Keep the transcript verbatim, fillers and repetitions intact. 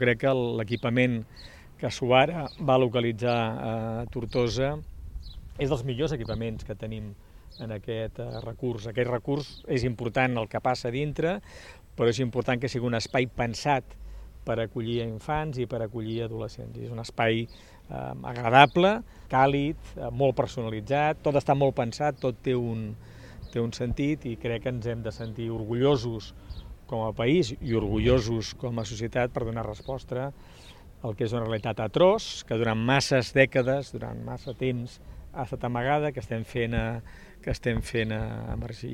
Crec que l'equipament que Suara va localitzar a Tortosa és dels millors equipaments que tenim en aquest recurs. Aquest recurs és important el que passa a dintre, però és important que sigui un espai pensat per acollir infants i per acollir adolescents. És un espai eh, agradable, càlid, eh, molt personalitzat, tot està molt pensat, tot té un, té un sentit i crec que ens hem de sentir orgullosos com a país i orgullosos com a societat per donar resposta al que és una realitat atroç, que durant masses dècades, durant massa temps, ha estat amagada, que estem fent, a, que estem fent a emergir.